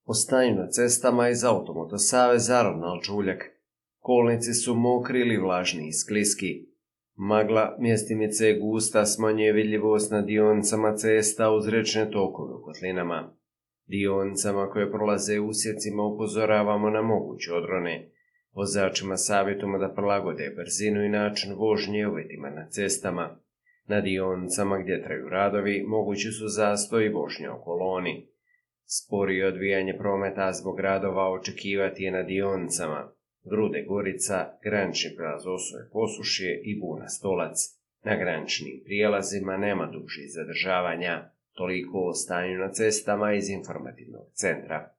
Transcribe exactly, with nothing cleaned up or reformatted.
O stanju na cestama iz Automoto saveza Ronald Čuljak. Kolnici su mokri ili vlažni i skliski. Magla mjestimice je gusta, smanjuje vidljivost na dionicama cesta uz rečne tokove u kotlinama. Dionicama koje prolaze usjecima upozoravamo na moguće odrone. Vozačima savjetujemo da prilagode brzinu i način vožnje uvjetima na cestama. Na dionicama gdje traju radovi mogući su zastoj i vožnja u koloni. Sporije odvijanje prometa zbog radova očekivati je na dionicama Grude Gorica, granični prijelaz Osoje Posušje i Buna Stolac. Na graničnim prijelazima nema dužih zadržavanja. Toliko o stanju na cestama iz informativnog centra.